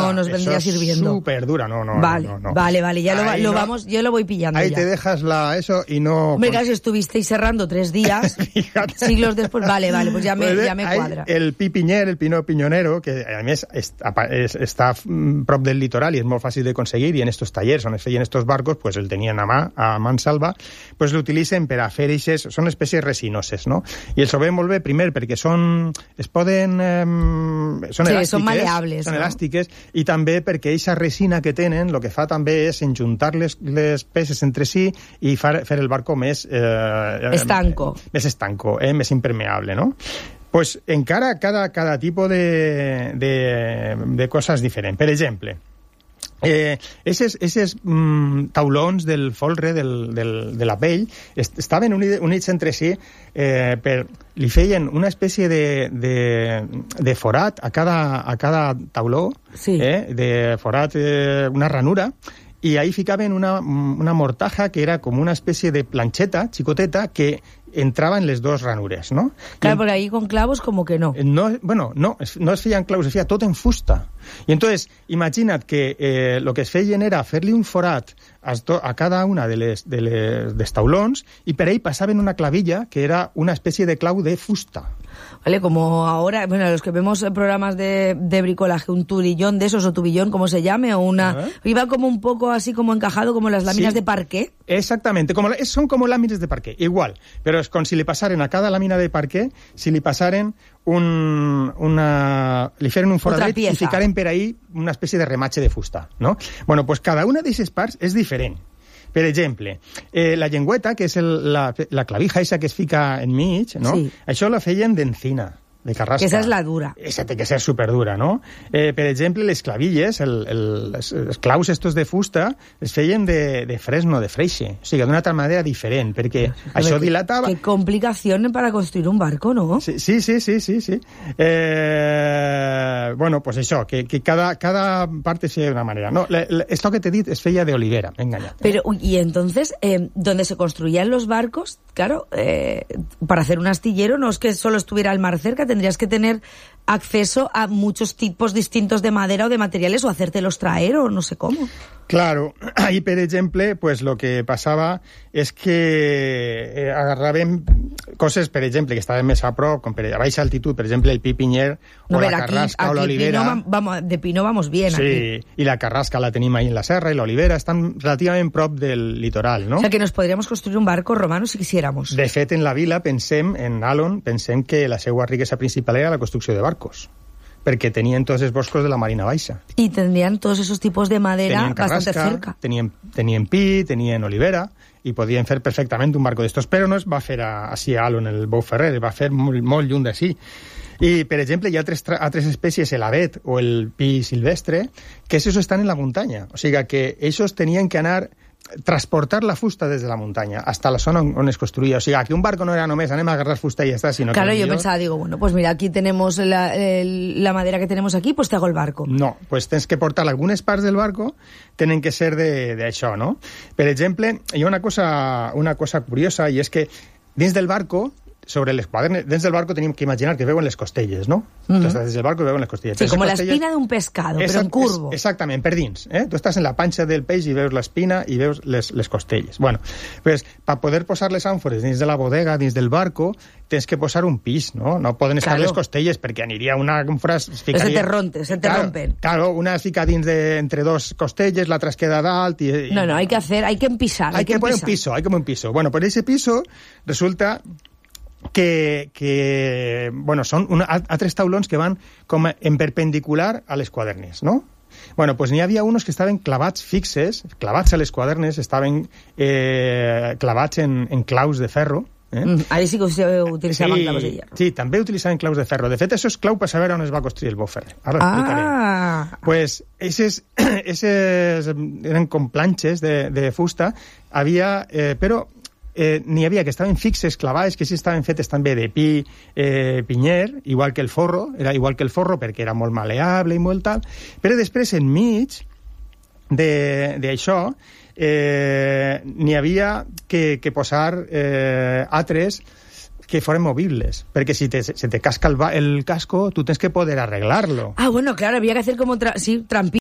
no nos vendría sirviendo. Súper dura, no. Vale, ya yo lo voy pillando. Ahí ya. te dejas eso y no... Hombre, claro, si estuvisteis cerrando 3 días, siglos después, vale, pues ya me cuadra. El pi pinyer, el pino piñonero, que a més està prop del litoral i és molt fàcil de conseguir, i en estos tallers on es feien estos barcos, pues el tenien a mansalva, pues l'utilitzen per a fer eixes, són espècies resinoses, no? I els ho veiem molt bé, primer, perquè són elàstiques, són maleables, són elàstiques, i també perquè eixa resina que tenen, el que fa també és enjuntar les peces entre si i fer el barco més... estanco. Més estanco, més impermeable, no? Pues encara cada tipus de coses diferent. Per exemple, esos taulons del folre de la pell estaven units entre si, li feien una espècie de forat a cada tauló, sí. De forat, una ranura, i ahí ficaven una mortaja que era com una espècie de planxeta xicoteta que entraba en les dos ranures, ¿no? Claro, porque ahí con clavos como que no. No es feien clavos, es feia tot en fusta. I entonces, imagina't que lo que es feien era fer-li un forat a cada una dels taulons i per ahí passaven una clavilla que era una espècie de clau de fusta. Vale, como ahora, bueno, los que vemos programas de bricolaje, un turillón de esos, o tubillón, como se llame, o una... Iba como un poco así como encajado, como las láminas de parqué. Exactamente, son como láminas de parqué, igual, pero es con si li passaren a cada làmina de parqué, si li passaren li feren un foradet i ficaren per ahí una espècie de rematge de fusta, no? Bueno, pues cada una d'aquestes parts és diferent. Per exemple, la llengüeta, que és la clavija esa que es fica enmig, no? Sí. Això la feien d'encina, de carrasca. Que esa és la dura. Esa té que ser superdura, no? Per exemple, les clavilles, els claus estos de fusta, es feien de fresno, de freixe. O sigui, d'una altra manera diferent, perquè això dilatava... Qué complicación para construir un barco, ¿no? Sí. Bueno, pues això, que cada parte sea de una manera. No, esto que te he dit es feia de olivera, enganyat. Pero, y entonces, donde se construían los barcos, claro, para hacer un astillero no es que solo estuviera el mar cerca, tendrías que tener acceso a muchos tipos distintos de madera o de materiales o hacértelos traer o no sé cómo. Claro, ahí, per exemple, pues lo que passava és que agarraven coses, per exemple, que estaven més a prop, com a baixa altitud, per exemple, el pi pinyer o la carrasca o l'olivera. De pino vamos bien, sí, aquí. I la carrasca la tenim ahí en la serra, i l'olivera estan relativament prop del litoral, no? O sea, que nos podríamos construir un barco romano si quisiéramos. De fet, en la vila en Alon, pensem que la seva riquesa principal era la construcció de barcos, perquè tenien tots els boscos de la Marina Baixa. Y tendrían todos esos tipos de madera bastante cerca. Tenien pi, tenien olivera, i podien fer perfectament un barco d'estos, però no es va fer així a Alon, el Bou Ferrer, es va fer molt lluny d'ací. I, per exemple, hi ha altres espècies, l'avet o el pi silvestre, que esos estan en la muntanya. O sigui que ells tenien que anar transportar la fusta des de la muntanya hasta la zona on es construïa. O sigui, que un barco no era només anem a agarrar fusta i ja està, sinó claro, que... yo pensaba, digo, bueno, pues mira, aquí tenemos la madera que tenemos aquí, pues te hago el barco. No, pues tens que portar algunes parts del barco, tenen que ser d'això, no? Per exemple, hi ha una cosa curiosa, i és que dins del barco, sobre les quadernes, dins del barco tenim que imaginar que veuen les costelles, no? Entonces, des del barco veuen les costelles. Sí, com la espina d'un pescado, però en curvo. Exactament, per dins. Tu estàs en la panxa del peix i veus l'espina i veus les costelles. Bueno, pues, per poder posar les àmfores dins de la bodega, dins del barco, tens que posar un pis, no? No poden estar les costelles, perquè aniria una àmfora... Se te rompen. Claro, una es fica dins entre dos costelles, l'altra es queda dalt... No, hay que empisar. Hay que poner un piso, hay como un piso. Bueno, pues ese piso resulta... que bueno, són altres taulons que van com en perpendicular a les quadernes, no? Bueno, pues n'hi havia uns que estaven clavats fixes, clavats a les quadernes, estaven clavats en claus de ferro. Ahí sí que utilitzaven claus de hierro. Sí, també utilitzaven claus de ferro. De fet, això és clau per saber on es va construir el Bou Ferrer. Ara l'explicaré. Pues eses eren com planxes de fusta, havia... però n'hi havia que estaven fixes, clavades, que sí estaven fetes també de pi pinyer, igual que el forro, era igual que el forro perquè era molt maleable i molt tal, però després enmig d'això n'hi havia que posar altres que foren movibles, perquè si se te casca el casco, tu tens que poder arreglarlo. Ah, bueno, claro, había que hacer como trampillas.